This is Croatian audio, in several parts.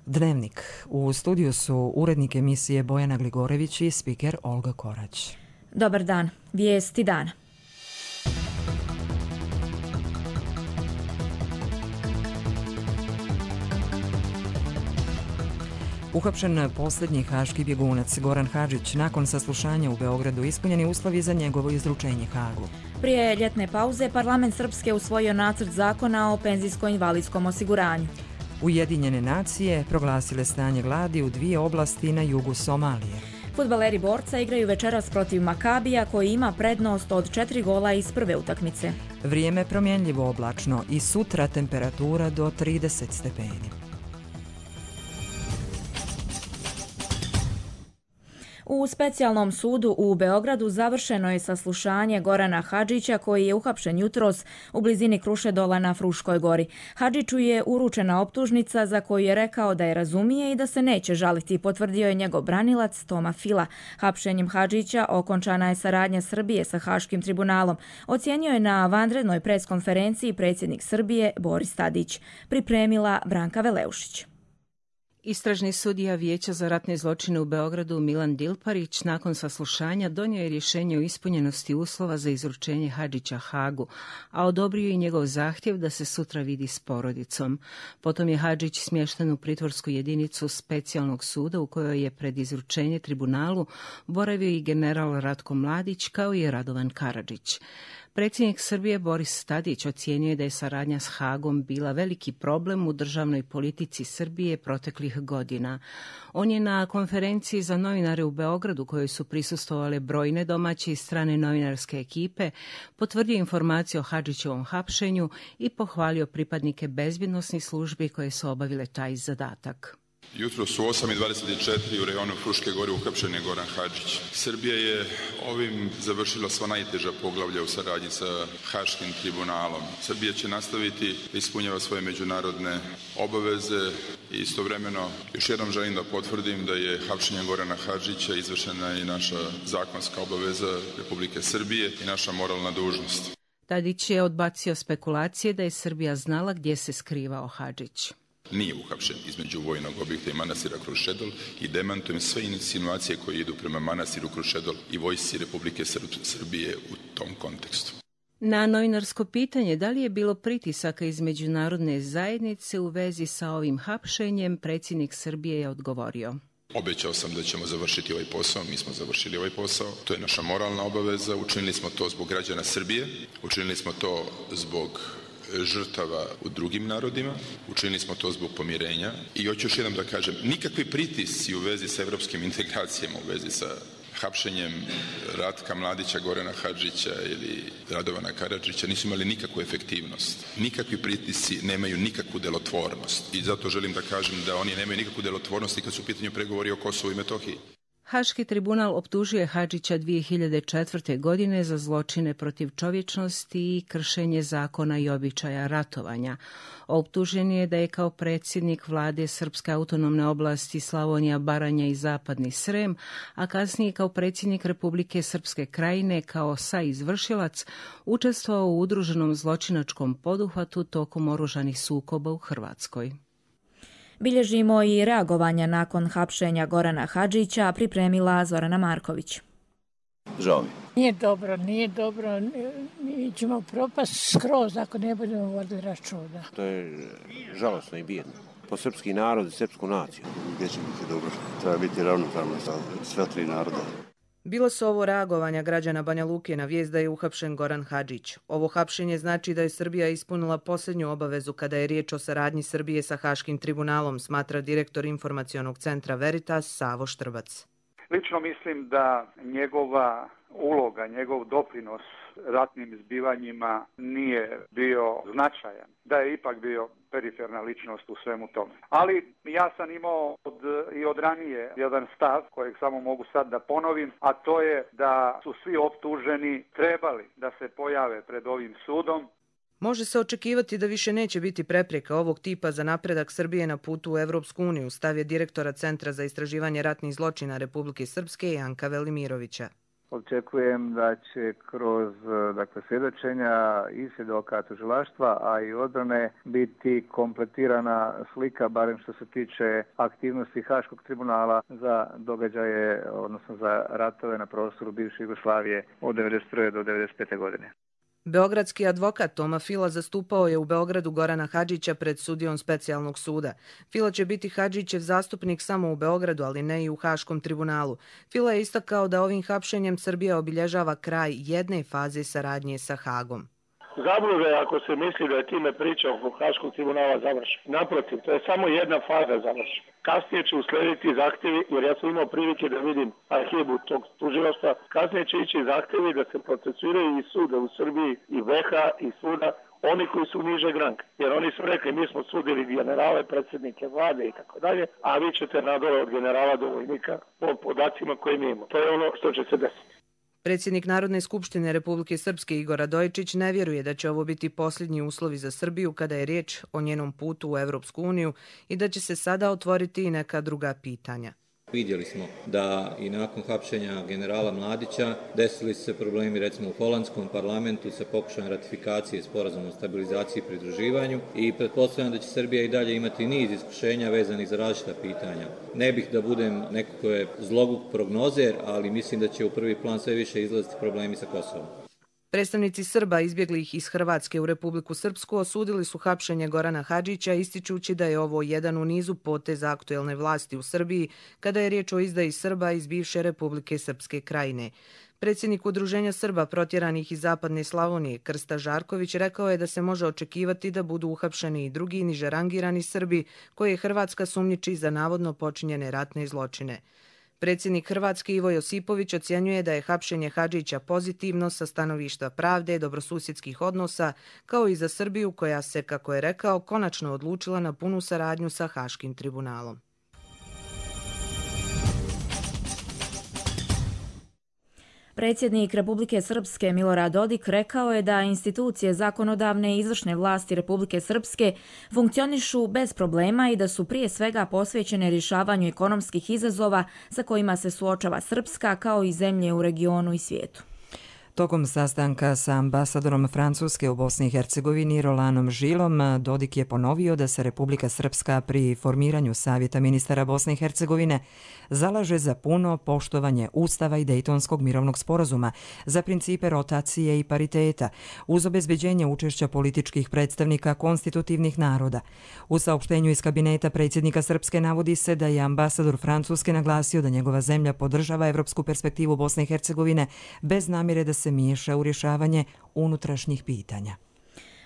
Dnevnik. U studiju su urednik emisije Bojana Gligorević i spiker Olga Korać. Dobar dan. Vijesti dana. Uhapšen posljednji haški bjegunac Goran Hadžić nakon saslušanja u Beogradu ispunjeni uslovi za njegovo izručenje Hagu. Prije ljetne pauze parlament Srpske usvojio nacrt zakona o penzijsko-invalidskom osiguranju. Ujedinjene nacije proglasile stanje gladi u 2 oblasti na jugu Somalije. Fudbaleri Borca igraju večeras protiv Makabija koji ima prednost od 4 gola iz prve utakmice. Vrijeme promjenljivo oblačno i sutra temperatura do 30 stepeni. U specijalnom sudu u Beogradu završeno je saslušanje Gorana Hadžića koji je uhapšen jutros u blizini Krušedola na Fruškoj gori. Hadžiću je uručena optužnica za koju je rekao da je razumije i da se neće žaliti, potvrdio je njegov branilac Toma Fila. Hapšenjem Hadžića okončana je saradnja Srbije sa Haškim tribunalom, ocijenio je na vanrednoj preskonferenciji predsjednik Srbije Boris Tadić. Pripremila Branka Veleušić. Istražni sudija Vijeća za ratne zločine u Beogradu Milan Dilparić nakon saslušanja donio je rješenje o ispunjenosti uslova za izručenje Hadžića Hagu, a odobrio i njegov zahtjev da se sutra vidi s porodicom. Potom je Hadžić smješten u pritvorsku jedinicu specijalnog suda u kojoj je pred izručenje tribunalu boravio i general Ratko Mladić kao i Radovan Karadžić. Predsjednik Srbije Boris Tadić ocijenio je da je saradnja s Hagom bila veliki problem u državnoj politici Srbije proteklih godina. On je na konferenciji za novinare u Beogradu, kojoj su prisustvovale brojne domaće i strane novinarske ekipe, potvrdio informaciju o Hadžićevom hapšenju i pohvalio pripadnike bezbjednosnih službi koje su obavile taj zadatak. Jutro su 8:24 u rejonu Fruške gore uhapšen je Goran Hadžić. Srbija je ovim završila sva najteža poglavlja u saradnji sa Haškim tribunalom. Srbija će nastaviti da ispunjava svoje međunarodne obaveze i istovremeno još jednom želim da potvrdim da je hapšenjem Gorana Hadžića izvršena i naša zakonska obaveza Republike Srbije i naša moralna dužnost. Tadić je odbacio spekulacije da je Srbija znala gdje se skrivao Hadžić. Nije uhapšen između vojnog objekta i manastira Krušedol i demantujem sve insinuacije koje idu prema manastiru Krušedol i vojsci Republike Srbije u tom kontekstu. Na novinarsko pitanje da li je bilo pritisaka iz međunarodne zajednice u vezi sa ovim hapšenjem, predsjednik Srbije je odgovorio: Obećao sam da ćemo završiti ovaj posao, mi smo završili ovaj posao, to je naša moralna obaveza, učinili smo to zbog građana Srbije, učinili smo to zbog žrtava u drugim narodima, učinili smo to zbog pomirenja i hoću još jednom da kažem, nikakvi pritisci u vezi sa evropskim integracijama, u vezi sa hapšenjem Ratka Mladića, Gorana Hadžića ili Radovana Karadžića nisu imali nikakvu efektivnost. Nikakvi pritisci nemaju nikakvu delotvornost i zato želim da kažem da oni nemaju nikakvu delotvornost i kad su u pitanju pregovori o Kosovu i Metohiji. Haški tribunal optužuje Hadžića 2004. godine za zločine protiv čovječnosti i kršenje zakona i običaja ratovanja. Optužen je da je kao predsjednik vlade Srpske autonomne oblasti Slavonija, Baranja i Zapadni Srem, a kasnije kao predsjednik Republike Srpske krajine kao saizvršilac učestvovao u udruženom zločinačkom poduhvatu tokom oružanih sukoba u Hrvatskoj. Bilježimo i reagovanja nakon hapšenja Gorana Hadžića, pripremila Zorana Marković. Žao mi. Nije dobro, mi ćemo propast skroz ako ne budemo vodili računa. To je žalosno i bijedno. Po srpski narod i srpsku naciju. Neće biti dobro. Treba biti ravnopravno sa sve 3 naroda. Bilo su ovo reagovanja građana Banja Luke na vijest da je uhapšen Goran Hadžić. Ovo hapšenje znači da je Srbija ispunila posljednju obavezu kada je riječ o saradnji Srbije sa Haškim tribunalom, smatra direktor informacionog centra Veritas Savo Štrbac. Lično mislim da njegova uloga, njegov doprinos ratnim zbivanjima nije bio značajan, da je ipak bio periferna ličnost u svemu tome. Ali ja sam imao i od ranije jedan stav kojeg samo mogu sad da ponovim, a to je da su svi optuženi trebali da se pojave pred ovim sudom. Može se očekivati da više neće biti prepreka ovog tipa za napredak Srbije na putu u Evropsku uniju, stav je direktora Centra za istraživanje ratnih zločina Republike Srpske Janka Velimirovića. Očekujem da će kroz svjedočenja i svjedoka tužilaštva, a i odbrane biti kompletirana slika, barem što se tiče aktivnosti Haškog tribunala za događaje, odnosno za ratove na prostoru bivše Jugoslavije od 1991. do 1995. godine. Beogradski advokat Toma Fila zastupao je u Beogradu Gorana Hadžića pred sudijom specijalnog suda. Fila će biti Hadžićev zastupnik samo u Beogradu, ali ne i u Haškom tribunalu. Fila je istakao da ovim hapšenjem Srbija obilježava kraj jedne faze saradnje sa Hagom. Zabluda je ako se misli da je time priča oko Haškog tribunala završena. Naprotiv, to je samo jedna faza završena. Kasnije će uslediti zahtjevi, jer ja sam imao prilike da vidim arhivu tog tužilaštva, kasnije će ići zahtjevi da se procesuiraju i suda u Srbiji i BiH i suda oni koji su niže ranka. Jer oni su rekli mi smo sudili generale, predsjednike vlade i tako dalje, a vi ćete nadole od generala do vojnika po podacima koje mi imamo. To je ono što će se desiti. Predsjednik Narodne skupštine Republike Srpske Igor Radojičić ne vjeruje da će ovo biti posljednji uslovi za Srbiju kada je riječ o njenom putu u Evropsku uniju i da će se sada otvoriti i neka druga pitanja. Vidjeli smo da i nakon hapšenja generala Mladića desili su se problemi recimo u holandskom parlamentu sa pokušajem ratifikacije sporazuma o stabilizaciji i pridruživanju i pretpostavljam da će Srbija i dalje imati niz iskušenja vezanih za različita pitanja. Ne bih da budem neko ko je zloguk prognozer, ali mislim da će u prvi plan sve više izlaziti problemi sa Kosovom. Predstavnici Srba izbjeglih iz Hrvatske u Republiku Srpsku osudili su hapšenje Gorana Hadžića, ističući da je ovo jedan u nizu poteza aktuelne vlasti u Srbiji kada je riječ o izdaji Srba iz bivše Republike Srpske Krajine. Predsjednik Udruženja Srba protjeranih iz Zapadne Slavonije Krsta Žarković rekao je da se može očekivati da budu uhapšeni i drugi niže rangirani Srbi koje Hrvatska sumnjiči za navodno počinjene ratne zločine. Predsjednik Hrvatske Ivo Josipović ocjenjuje da je hapšenje Hadžića pozitivno sa stanovišta pravde, dobrosusjedskih odnosa, kao i za Srbiju koja se, kako je rekao, konačno odlučila na punu saradnju sa Haškim tribunalom. Predsjednik Republike Srpske Milorad Dodik rekao je da institucije zakonodavne i izvršne vlasti Republike Srpske funkcionišu bez problema i da su prije svega posvećene rješavanju ekonomskih izazova sa kojima se suočava Srpska kao i zemlje u regionu i svijetu. Tokom sastanka sa ambasadorom Francuske u Bosni i Hercegovini Rolanom Žilom, Dodik je ponovio da se Republika Srpska pri formiranju Savjeta ministara Bosne i Hercegovine zalaže za puno poštovanje Ustava i Dejtonskog mirovnog sporazuma, za principe rotacije i pariteta, uz obezbeđenje učešća političkih predstavnika konstitutivnih naroda. U saopštenju iz kabineta predsjednika Srpske navodi se da je ambasador Francuske naglasio da njegova zemlja podržava evropsku perspektivu Bosne i Hercegovine bez namjere da se miješa u rješavanje unutrašnjih pitanja.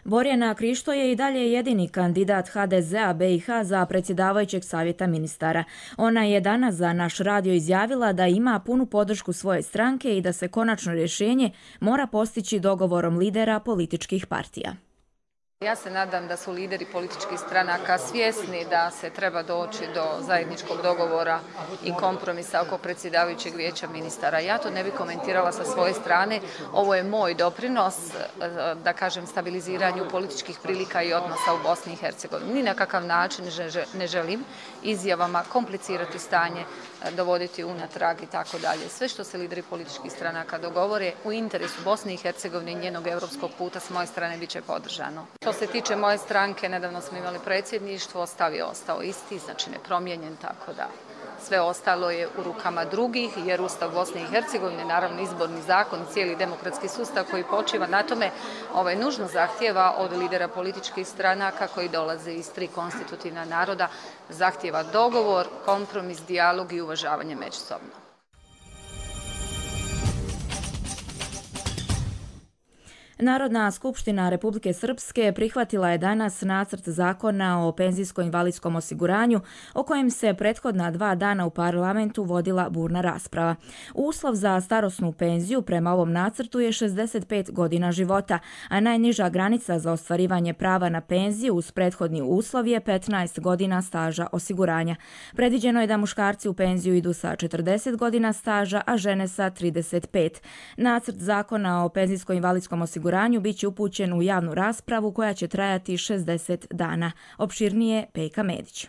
Borjana Krišto je i dalje jedini kandidat HDZ-a BiH za predsjedavajućeg savjeta ministara. Ona je danas za naš radio izjavila da ima punu podršku svoje stranke i da se konačno rješenje mora postići dogovorom lidera političkih partija. Ja se nadam da su lideri političkih stranaka svjesni da se treba doći do zajedničkog dogovora i kompromisa oko predsjedavajućeg vijeća ministara. Ja to ne bih komentirala sa svoje strane. Ovo je moj doprinos, da kažem, stabiliziranju političkih prilika i odnosa u Bosni i Hercegovini. Ni na kakav način ne želim izjavama komplicirati stanje, dovoditi unatrag i tako dalje. Sve što se lideri političkih stranaka dogovore u interesu Bosne i Hercegovine i njenog europskog puta s moje strane bit će podržano. Što se tiče moje stranke, nedavno smo imali predsjedništvo, stav je ostao isti, znači nepromijenjen, tako da sve ostalo je u rukama drugih, jer Ustav Bosne i Hercegovine, naravno izborni zakon, cijeli demokratski sustav koji počiva na tome, nužno zahtjeva od lidera političkih stranaka koji dolaze iz 3 konstitutivna naroda, zahtjeva dogovor, kompromis, dijalog i uvažavanje međusobno. Narodna skupština Republike Srpske prihvatila je danas nacrt zakona o penzijsko-invalidskom osiguranju o kojem se prethodna 2 dana u parlamentu vodila burna rasprava. Uslov za starosnu penziju prema ovom nacrtu je 65 godina života, a najniža granica za ostvarivanje prava na penziju uz prethodni uslov je 15 godina staža osiguranja. Predviđeno je da muškarci u penziju idu sa 40 godina staža, a žene sa 35. Nacrt zakona o penzijsko-invalidskom osiguranju osiguranju bit će upućen u javnu raspravu koja će trajati 60 dana. Opširnije Pejka Medić.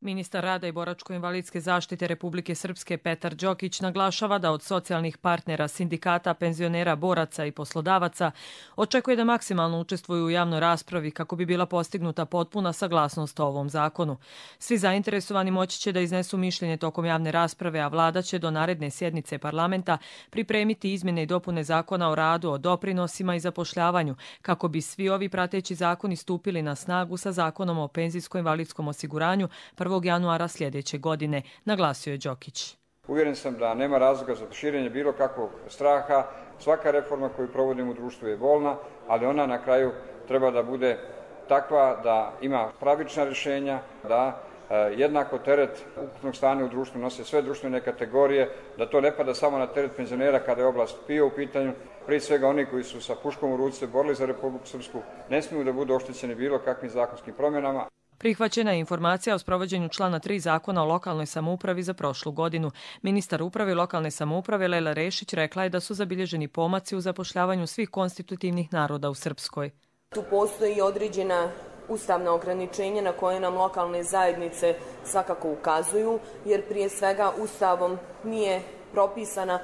Ministar rada i boračko-invalidske zaštite Republike Srpske Petar Đokić naglašava da od socijalnih partnera, sindikata, penzionera, boraca i poslodavaca očekuje da maksimalno učestvuju u javnoj raspravi kako bi bila postignuta potpuna saglasnost o ovom zakonu. Svi zainteresovani moći će da iznesu mišljenje tokom javne rasprave, a vlada će do naredne sjednice parlamenta pripremiti izmjene i dopune zakona o radu, o doprinosima i zapošljavanju, kako bi svi ovi prateći zakoni stupili na snagu sa zakonom o penzijsko-invalidskom osiguranju 1. januara sljedeće godine, naglasio je Đokić. Uvjeren sam da nema razloga za širenje bilo kakvog straha. Svaka reforma koju provodimo u društvu je bolna, ali ona na kraju treba da bude takva da ima pravična rješenja, da jednako teret ukupnog stanja u društvu nose sve društvene kategorije, da to ne pada samo na teret penzionera kada je oblast PIO u pitanju. Prije svega oni koji su sa puškom u ruci borili za Republiku Srpsku ne smiju da budu oštećeni bilo kakvim zakonskim promjenama. Prihvaćena je informacija o sprovođenju člana 3 zakona o lokalnoj samoupravi za prošlu godinu. Ministar uprave i lokalne samouprave Lela Rešić rekla je da su zabilježeni pomaci u zapošljavanju svih konstitutivnih naroda u Srpskoj. Tu postoji određena ustavna ograničenja na koje nam lokalne zajednice svakako ukazuju, jer prije svega Ustavom nije propisana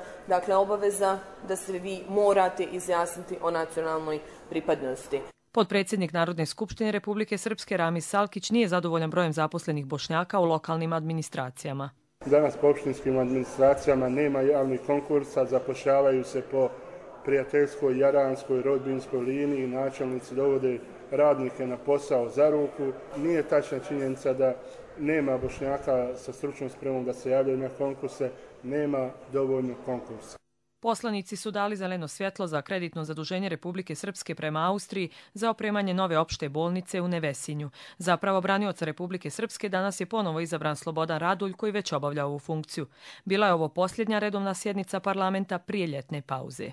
obaveza da se vi morate izjasniti o nacionalnoj pripadnosti. Potpredsjednik Narodne skupštine Republike Srpske Ramis Salkić nije zadovoljan brojem zaposlenih Bošnjaka u lokalnim administracijama. Danas po opštinskim administracijama nema javnih konkursa, zapošljavaju se po prijateljskoj, jaranskoj, rodbinskoj liniji, načelnici dovode radnike na posao za ruku. Nije tačna činjenica da nema Bošnjaka sa stručnom spremom da se javljaju na konkurse, nema dovoljno konkursa. Poslanici su dali zeleno svjetlo za kreditno zaduženje Republike Srpske prema Austriji za opremanje nove opšte bolnice u Nevesinju. Za pravobranioca Republike Srpske danas je ponovo izabran Slobodan Radulj koji već obavlja ovu funkciju. Bila je ovo posljednja redovna sjednica parlamenta prije ljetne pauze.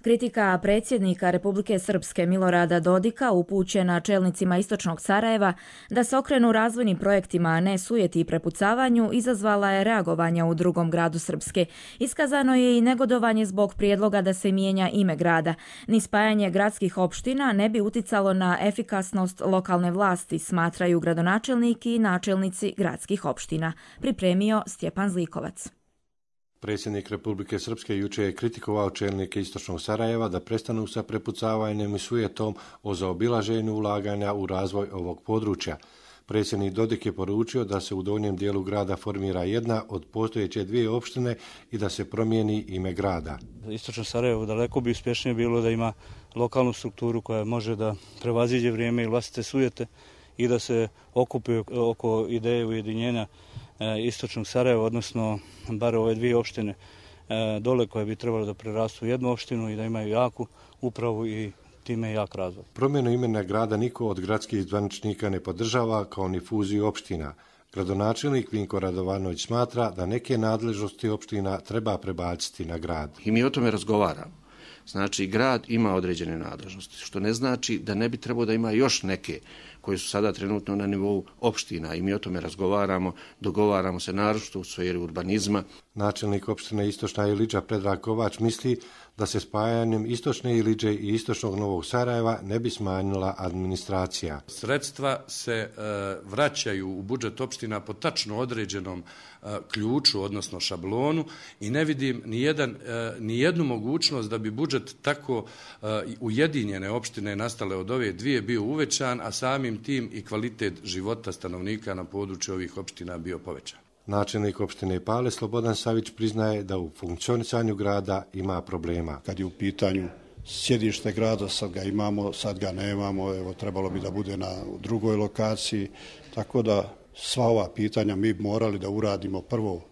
Kritika predsjednika Republike Srpske Milorada Dodika upućena čelnicima istočnog Sarajeva da se okrenu razvojnim projektima, a ne sujeti i prepucavanju, izazvala je reagovanja u drugom gradu Srpske. Iskazano je i negodovanje zbog prijedloga da se mijenja ime grada. Ni spajanje gradskih opština ne bi uticalo na efikasnost lokalne vlasti, smatraju gradonačelnik i načelnici gradskih opština. Pripremio Stjepan Zlikovac. Predsjednik Republike Srpske juče je kritikovao čelnike istočnog Sarajeva da prestanu sa prepucavanjem i sujetom o zaobilaženju ulaganja u razvoj ovog područja. Predsjednik Dodik je poručio da se u donjem dijelu grada formira jedna od postojeće dvije opštine i da se promijeni ime grada. Istočno Sarajevo daleko bi uspješnije bilo da ima lokalnu strukturu koja može da prevaziđe vrijeme i vlastite sujete i da se okupi oko ideje ujedinjenja istočnog Sarajeva, odnosno bar ove dvije opštine dole koje bi trebalo da prerastu u jednu opštinu i da imaju jaku upravu i time jak razvoj. Promjenu imena grada niko od gradskih zvaničnika ne podržava kao ni fuziju opština. Gradonačelnik Vinko Radovanović smatra da neke nadležnosti opština treba prebaciti na grad. I mi o tome razgovaramo. Znači, grad ima određene nadležnosti, što ne znači da ne bi trebalo da ima još neke koje su sada trenutno na nivou opština i mi o tome razgovaramo, dogovaramo se naročito u sferi urbanizma. Načelnik opštine Istočna Iliđa Predrag Kovač misli da se spajanjem Istočne Iliđe i Istočnog Novog Sarajeva ne bi smanjila administracija. Sredstva se vraćaju u budžet opština po tačno određenom ključu, odnosno šablonu i ne vidim ni jednu mogućnost da bi budžet tako ujedinjene opštine nastale od ove dvije bio uvećan, a samim tim i kvalitet života stanovnika na području ovih opština bio povećan. Načelnik opštine Pale Slobodan Savić priznaje da u funkcionisanju grada ima problema. Kad je u pitanju sjedište grada, sad ga imamo, sad ga nemamo, evo trebalo bi da bude na drugoj lokaciji, tako da sva ova pitanja mi morali da uradimo prvo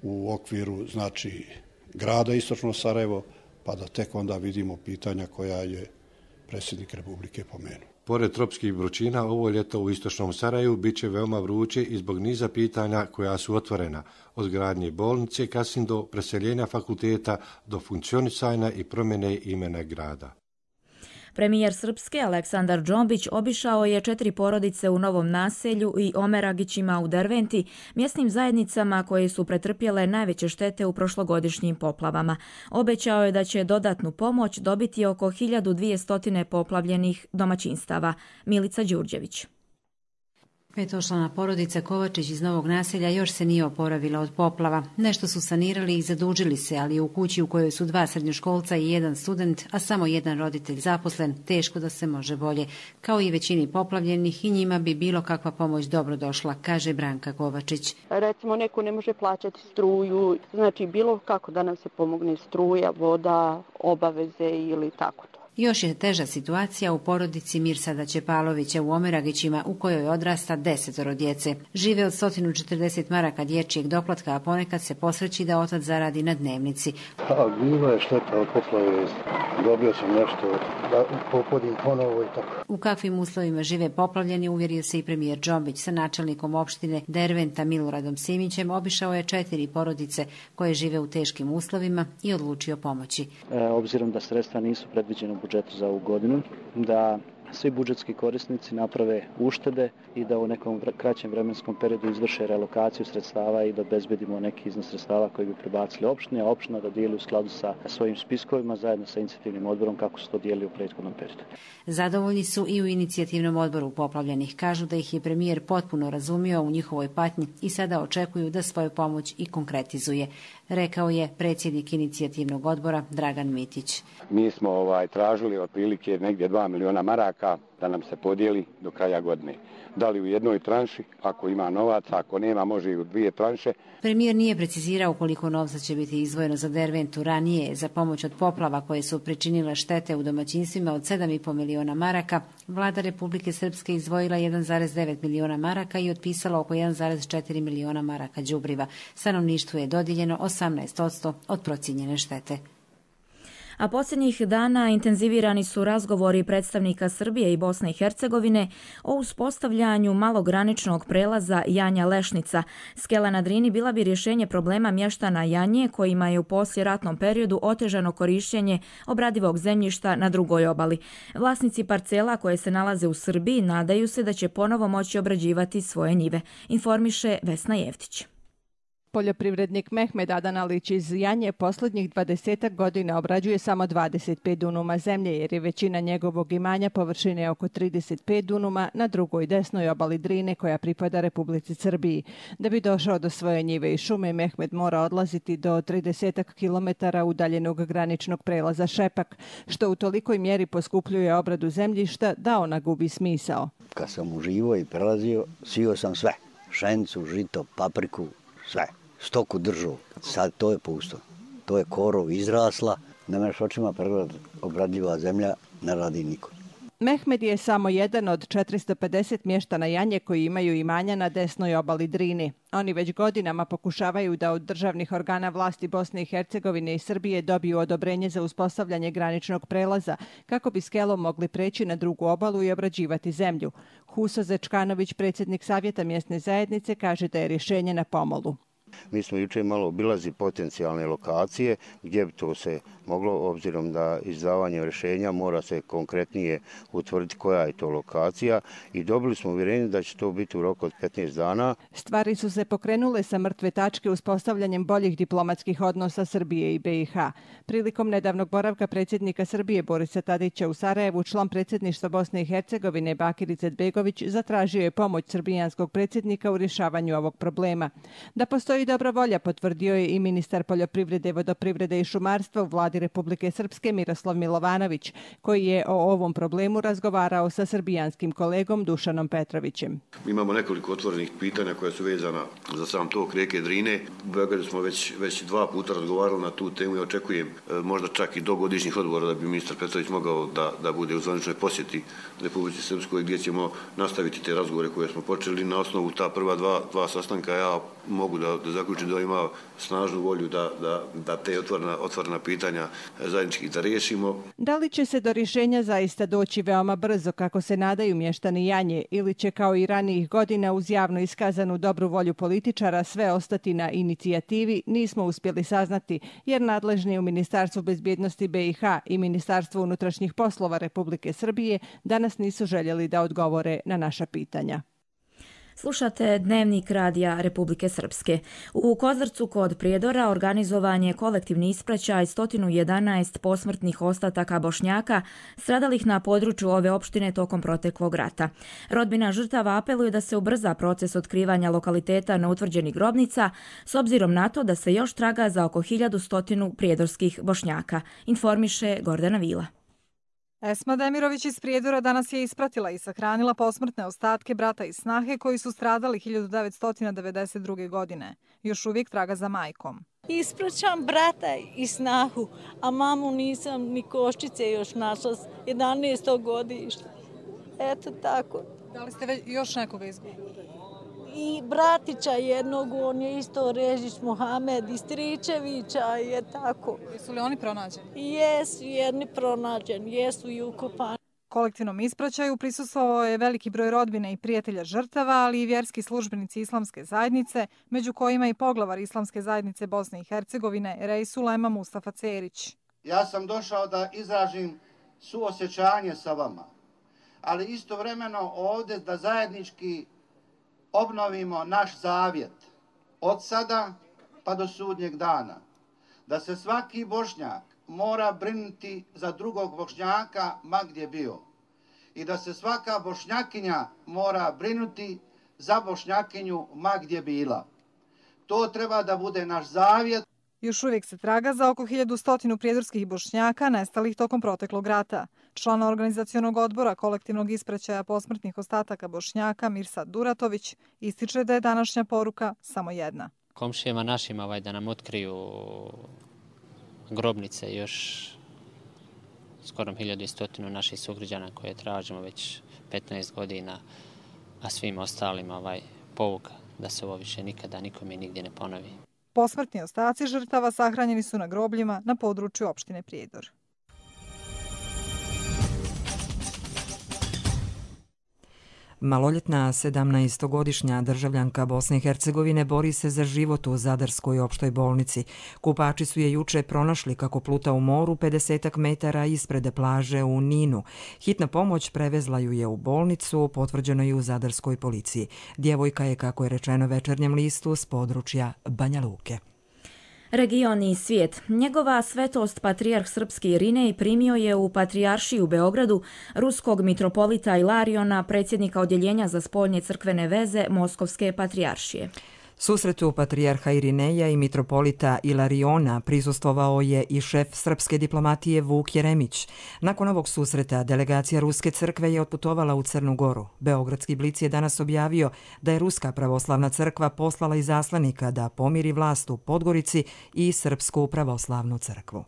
u okviru znači grada Istočno Sarajevo, pa da tek onda vidimo pitanja koja je predsjednik Republike pomenuo. Pored tropskih vrućina, ovo ljeto u Istočnom Sarajevu bit će veoma vruće i zbog niza pitanja koja su otvorena, od gradnje bolnice, kasnije do preseljenja fakulteta, do funkcionisanja i promjene imena grada. Premijer Srpske Aleksandar Džombić obišao je 4 porodice u Novom Naselju i Omeragićima u Derventi, mjesnim zajednicama koje su pretrpjele najveće štete u prošlogodišnjim poplavama. Obećao je da će dodatnu pomoć dobiti oko 1200 poplavljenih domaćinstava. Milica Đurđević. Petočlana porodica Kovačić iz Novog Naselja još se nije oporavila od poplava. Nešto su sanirali i zadužili se, ali u kući u kojoj su 2 srednjoškolca i 1 student, a samo 1 roditelj zaposlen, teško da se može bolje. Kao i većini poplavljenih, i njima bi bilo kakva pomoć dobro došla, kaže Branka Kovačić. Recimo, neko ne može plaćati struju, znači bilo kako da nam se pomogne struja, voda, obaveze ili tako to. Još je teža situacija u porodici Mirsada Čepalovića u Omeragićima, u kojoj odrasta 10 djece. Žive od 140 maraka dječjeg doplatka, a ponekad se posreći da otac zaradi na dnevnici. Bilo je šteta od poplave, dobio sam nešto da popodim ponovo i tako. U kakvim uslovima žive poplavljeni uvjerio se i premijer Džombić. Sa načelnikom opštine Derventa Miloradom Simićem obišao je 4 porodice koje žive u teškim uslovima i odlučio pomoći. Obzirom da sredstva nisu predviđena u budžetu za ovu godinu, da svi budžetski korisnici naprave uštede i da u nekom kraćem vremenskom periodu izvrše relokaciju sredstava i da obezbedimo neki iznos sredstava koji bi prebacili opštine, a opština da dijeli u skladu sa svojim spiskovima zajedno sa inicijativnim odborom kako su to dijeli u prethodnom periodu. Zadovoljni su i u inicijativnom odboru poplavljenih. Kažu da ih je premijer potpuno razumio u njihovoj patnji i sada očekuju da svoju pomoć i konkretizuje, rekao je predsjednik inicijativnog odbora Dragan Mitić. Mi smo tražili otprilike negdje 2 miliona maraka da nam se podijeli do kraja godine. Da li u jednoj tranši, ako ima novaca, ako nema, može i u 2 tranše. Premijer nije precizirao koliko novca će biti izdvojeno za Derventu. Ranije za pomoć od poplava koje su pričinile štete u domaćinstvima od 7,5 miliona maraka, vlada Republike Srpske izdvojila 1,9 miliona maraka i otpisala oko 1,4 miliona maraka đubriva. Stanovništvu je dodijeljeno 18% od procijenjene štete. A posljednjih dana intenzivirani su razgovori predstavnika Srbije i Bosne i Hercegovine o uspostavljanju malograničnog prelaza Janja-Lešnica. Skela na Drini bila bi rješenje problema mještana Janje kojima je u poslijeratnom periodu otežano korištenje obradivog zemljišta na drugoj obali. Vlasnici parcela koje se nalaze u Srbiji nadaju se da će ponovo moći obrađivati svoje njive, informiše Vesna Jevtić. Poljoprivrednik Mehmed Adanalić iz Janje posljednjih 20 godina obrađuje samo 25 dunuma zemlje, jer je većina njegovog imanja površine oko 35 dunuma na drugoj desnoj obali Drine koja pripada Republici Srbiji. Da bi došao do svoje njive i šume, Mehmed mora odlaziti do 30 km udaljenog graničnog prelaza Šepak, što u tolikoj mjeri poskupljuje obradu zemljišta da ona gubi smisao. Kad sam uživao i prelazio, sio sam sve. Pšenicu, žito, papriku, sve. Stoku držu, sad to je pusto. To je korov izrasla, ne možeš očima pregledati, obradljiva zemlja, ne radi niko. Mehmed je samo jedan od 450 mještana Janje koji imaju imanja na desnoj obali Drini. Oni već godinama pokušavaju da od državnih organa vlasti Bosne i Hercegovine i Srbije dobiju odobrenje za uspostavljanje graničnog prelaza kako bi skelom mogli preći na drugu obalu i obrađivati zemlju. Huso Zečkanović, predsjednik Savjeta mjesne zajednice, kaže da je rješenje na pomolu. Mi smo jučer malo obilazi potencijalne lokacije gdje bi to se moglo, obzirom da izdavanje rješenja mora se konkretnije utvrditi koja je to lokacija i dobili smo uvjerenje da će to biti u roku od 15 dana. Stvari su se pokrenule sa mrtve tačke uspostavljanjem boljih diplomatskih odnosa Srbije i BiH. Prilikom nedavnog boravka predsjednika Srbije Borisa Tadića u Sarajevu, član predsjedništva Bosne i Hercegovine Bakir Izetbegović zatražio je pomoć srbijanskog predsjednika u rješavanju ovog problema. Da postoji dobra volja potvrdio je i ministar poljoprivrede, vodoprivrede i šumarstva u vladi Republike Srpske Miroslav Milovanović, koji je o ovom problemu razgovarao sa srbijanskim kolegom Dušanom Petrovićem. Mi imamo nekoliko otvorenih pitanja koja su vezana za sam tok rijeke Drine. U Beogradu smo već 2 puta razgovarali na tu temu i očekujem možda čak i do godišnjih odgovora da bi ministar Petrović mogao da bude u zvaničnoj posjeti Republici Srpskoj gdje ćemo nastaviti te razgovore koje smo počeli. Na osnovu ta prva dva sastanka ja mogu da zaključiti da ima snažnu volju da te otvorena pitanja zajednički da riješimo. Da li će se do rješenja zaista doći veoma brzo, kako se nadaju mještani Janje, ili će kao i ranijih godina uz javno iskazanu dobru volju političara sve ostati na inicijativi, nismo uspjeli saznati, jer nadležni u Ministarstvu bezbjednosti BiH i Ministarstvu unutrašnjih poslova Republike Srbije danas nisu željeli da odgovore na naša pitanja. Slušate Dnevnik radija Republike Srpske. U Kozarcu kod Prijedora organizovan je kolektivni ispraćaj 111 posmrtnih ostataka Bošnjaka stradalih na području ove opštine tokom proteklog rata. Rodbina žrtava apeluje da se ubrza proces otkrivanja lokaliteta neutvrđenih grobnica s obzirom na to da se još traga za oko 1100 prijedorskih Bošnjaka, informiše Gordana Vila. Esma Demirović iz Prijedora danas je ispratila i sahranila posmrtne ostatke brata i snahe koji su stradali 1992. godine. Još uvijek traga za majkom. Ispraćam brata i snahu, a mamu nisam ni koščice još našla, 11. godište. Eto tako. Da li ste još nekoga izgubili? I bratića jednog, on je isto Režić Mohamed iz Tričevića, je tako. Jesu li oni pronađeni? Jesu, jedni pronađeni, jesu i ukopani. Kolektivnom ispraćaju prisustvovao je veliki broj rodbine i prijatelja žrtava, ali i vjerski službenici islamske zajednice, među kojima i poglavar islamske zajednice Bosne i Hercegovine, Reis Ulema Mustafa Cerić. Ja sam došao da izražim suosjećanje sa vama, ali istovremeno ovdje da zajednički obnovimo naš zavjet od sada pa do sudnjeg dana, da se svaki Bošnjak mora brinuti za drugog Bošnjaka ma gdje bio i da se svaka Bošnjakinja mora brinuti za Bošnjakinju ma gdje bila. To treba da bude naš zavjet. Još uvijek se traga za oko 1100 prijedorskih Bošnjaka nestalih tokom proteklog rata. Član organizacionog odbora kolektivnog ispraćaja posmrtnih ostataka Bošnjaka Mirsad Duratović ističe da je današnja poruka samo jedna. Komšijama našima da nam otkriju grobnice još skoro 1100 naših sugrađana koje tražimo već 15 godina, a svim ostalima pouka da se ovo više nikada nikome nigdje ne ponovi. Posmrtni ostaci žrtava sahranjeni su na grobljima na području opštine Prijedor. Maloljetna 17-godišnja državljanka Bosne i Hercegovine bori se za život u Zadarskoj opštoj bolnici. Kupači su je juče pronašli kako pluta u moru 50 metara ispred plaže u Ninu. Hitna pomoć prevezla ju je u bolnicu, potvrđeno je u Zadarskoj policiji. Djevojka je, kako je rečeno Večernjem listu, s područja Banja Luke. Region i svijet. Njegova svetost patrijarh srpski Irinej primio je u Patrijaršiji u Beogradu ruskog mitropolita Ilariona, predsjednika odjeljenja za spoljne crkvene veze Moskovske patrijaršije. Susretu patrijarha Irineja i mitropolita Ilariona prisustvovao je i šef srpske diplomatije Vuk Jeremić. Nakon ovog susreta delegacija Ruske crkve je otputovala u Crnu Goru. Beogradski Blic je danas objavio da je Ruska pravoslavna crkva poslala izaslanika da pomiri vlast u Podgorici i Srpsku pravoslavnu crkvu.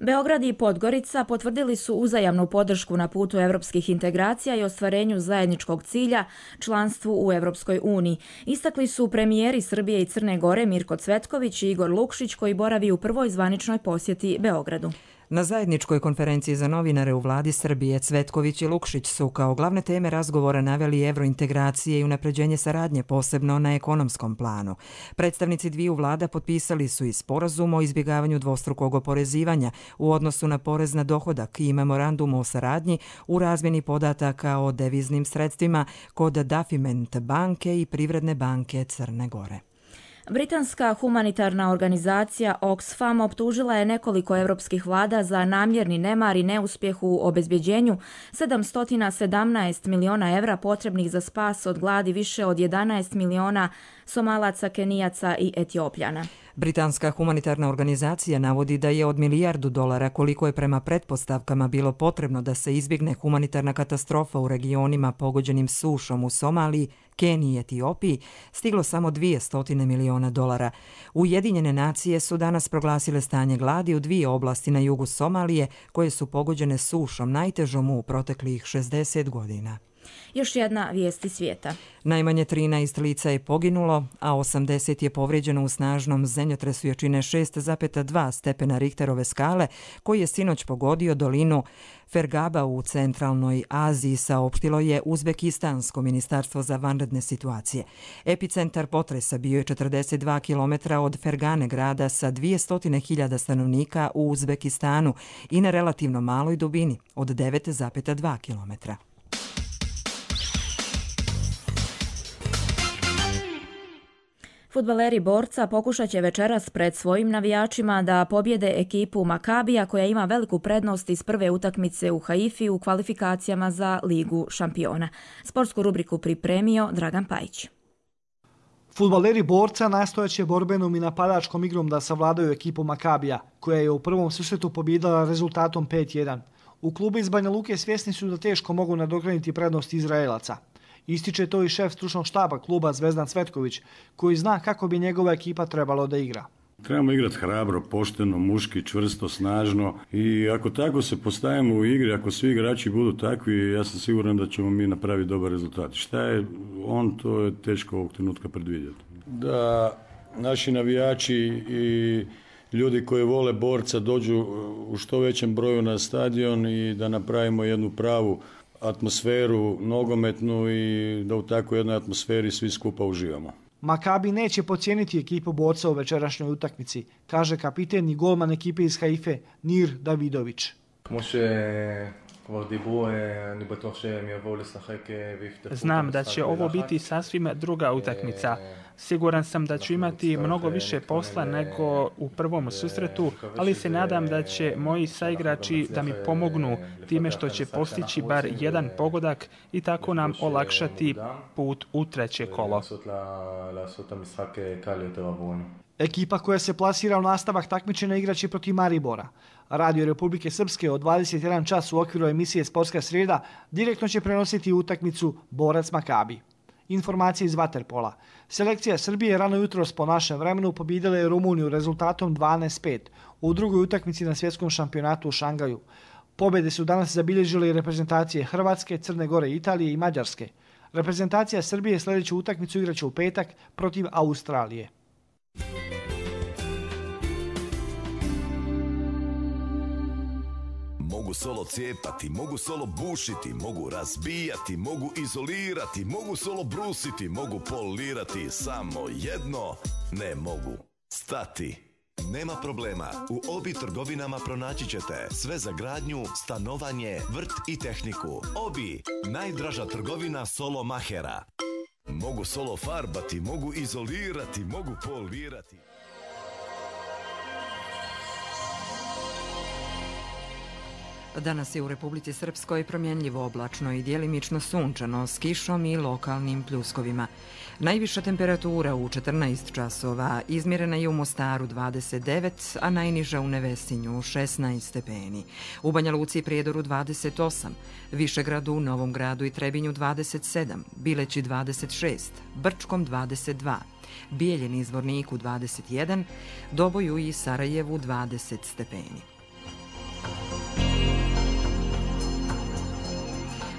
Beograd i Podgorica potvrdili su uzajamnu podršku na putu evropskih integracija i ostvarenju zajedničkog cilja članstvu u Evropskoj uniji. Istakli su premijeri Srbije i Crne Gore Mirko Cvetković i Igor Lukšić, koji boravi u prvoj zvaničnoj posjeti Beogradu. Na zajedničkoj konferenciji za novinare u vladi Srbije Cvetković i Lukšić su kao glavne teme razgovora naveli evrointegracije i unapređenje saradnje, posebno na ekonomskom planu. Predstavnici dviju vlada potpisali su i sporazum o izbjegavanju dvostrukog oporezivanja u odnosu na porez na dohodak i memorandum o saradnji u razmjeni podataka o deviznim sredstvima kod Dafiment banke i Privredne banke Crne Gore. Britanska humanitarna organizacija Oxfam optužila je nekoliko evropskih vlada za namjerni nemar i neuspjeh u obezbjeđenju 717 miliona evra potrebnih za spas od gladi više od 11 miliona Somalaca, Kenijaca i Etiopljana. Britanska humanitarna organizacija navodi da je od $1 milijardu koliko je prema pretpostavkama bilo potrebno da se izbjegne humanitarna katastrofa u regionima pogođenim sušom u Somaliji, Keniji i Etiopiji, stiglo samo $200 miliona. Ujedinjene nacije su danas proglasile stanje gladi u dvije oblasti na jugu Somalije koje su pogođene sušom najtežom u proteklih 60 godina. Još jedna vijest iz svijeta. Najmanje 13 lica je poginulo, a 80 je povrijeđeno u snažnom zemljotresu jačine 6,2 stepena Richterove skale, koji je sinoć pogodio dolinu Fergaba u centralnoj Aziji, saopštilo je Uzbekistansko ministarstvo za vanredne situacije. Epicentar potresa bio je 42 km od Fergane grada sa 200.000 stanovnika u Uzbekistanu i na relativno maloj dubini od 9,2 km. Fudbaleri Borca pokušat će večeras pred svojim navijačima da pobjede ekipu Makabija koja ima veliku prednost iz prve utakmice u Haifi u kvalifikacijama za Ligu šampiona. Sportsku rubriku pripremio Dragan Pajić. Fudbaleri Borca nastojaće borbenom i napadačkom igrom da savladaju ekipu Makabija, koja je u prvom susretu pobjedila rezultatom 5-1. U klubu iz Banja Luke svjesni su da teško mogu nadoknaditi prednost Izraelaca. Ističe to i šef stručnog štaba kluba Zvezdan Cvetković, koji zna kako bi njegova ekipa trebalo da igra. Trebamo igrati hrabro, pošteno, muški, čvrsto, snažno i ako tako se postavimo u igri, ako svi igrači budu takvi, ja sam siguran da ćemo mi napraviti dobar rezultat. Šta je on, to je teško ovog trenutka predvidjeti. Da naši navijači i ljudi koji vole Borca dođu u što većem broju na stadion i da napravimo jednu pravu atmosferu nogometnu i da u takvoj jednoj atmosferi svi skupa uživamo. Makabi neće podcijeniti ekipu Borca u večerašnjoj utakmici, kaže kapiten i golman ekipe iz Haife Nir Davidović. Znam da će ovo biti sasvim druga utakmica. Siguran sam da ću imati mnogo više posla nego u prvom susretu, ali se nadam da će moji saigrači da mi pomognu time što će postići bar jedan pogodak i tako nam olakšati put u treće kolo. Ekipa koja se plasira u nastavak takmičenja igraće protiv Maribora. Radio Republike Srpske od 21 čas u okviru emisije Sportska srijeda direktno će prenositi utakmicu Borac Makabi. Informacije iz vaterpola. Selekcija Srbije rano jutros po našem vremenu pobjedila je Rumuniju rezultatom 12-5 u drugoj utakmici na svjetskom šampionatu u Šangaju. Pobjede su danas zabilježile i reprezentacije Hrvatske, Crne Gore, Italije i Mađarske. Reprezentacija Srbije sljedeću utakmicu igraće u petak protiv Australije. Mogu solo cijepati, mogu solo bušiti, mogu razbijati, mogu izolirati, mogu solo brusiti, mogu polirati, samo jedno ne mogu stati. Nema problema, u Obi trgovinama pronaći ćete sve za gradnju, stanovanje, vrt i tehniku. Obi, najdraža trgovina solo mahera. Mogu solo farbati, mogu izolirati, mogu polirati. Danas je u Republici Srpskoj promjenljivo oblačno i djelimično sunčano s kišom i lokalnim pljuskovima. Najviša temperatura u 14 časova izmjerena je u Mostaru 29, a najniža u Nevesinju 16 stepeni. U Banja Luci i Prijedoru 28, Višegradu, Novom Gradu i Trebinju 27, Bileći 26, Brčkom 22, Bijeljini i Zvorniku 21, Doboju i Sarajevu 20 stepeni.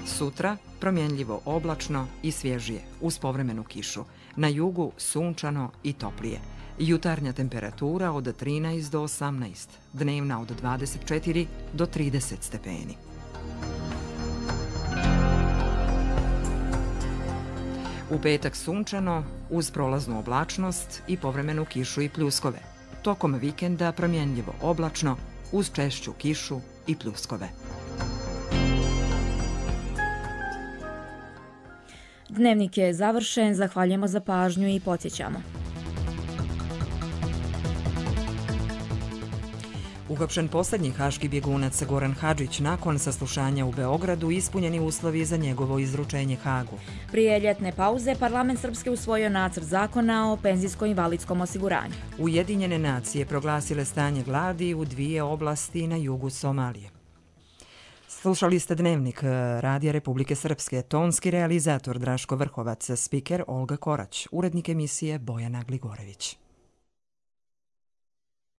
Sutra promjenljivo oblačno i svježije, uz povremenu kišu. Na jugu sunčano i toplije. Jutarnja temperatura od 13 do 18, dnevna od 24 do 30 stepeni. U petak sunčano, uz prolaznu oblačnost i povremenu kišu i pljuskove. Tokom vikenda promjenljivo oblačno, uz češću kišu i pljuskove. Dnevnik je završen, zahvaljujemo za pažnju i podsjećamo. Uhapšen posljednji haški bjegunac Goran Hadžić nakon saslušanja u Beogradu, ispunjeni uslovi za njegovo izručenje Hagu. Prije ljetne pauze parlament Srpske usvojio nacrt zakona o penzijsko-invalidskom osiguranju. Ujedinjene nacije proglasile stanje gladi u 2 oblasti na jugu Somalije. Slušali ste Dnevnik Radija Republike Srpske, tonski realizator Draško Vrhovac, spiker Olga Korać, urednik emisije Bojana Gligorević.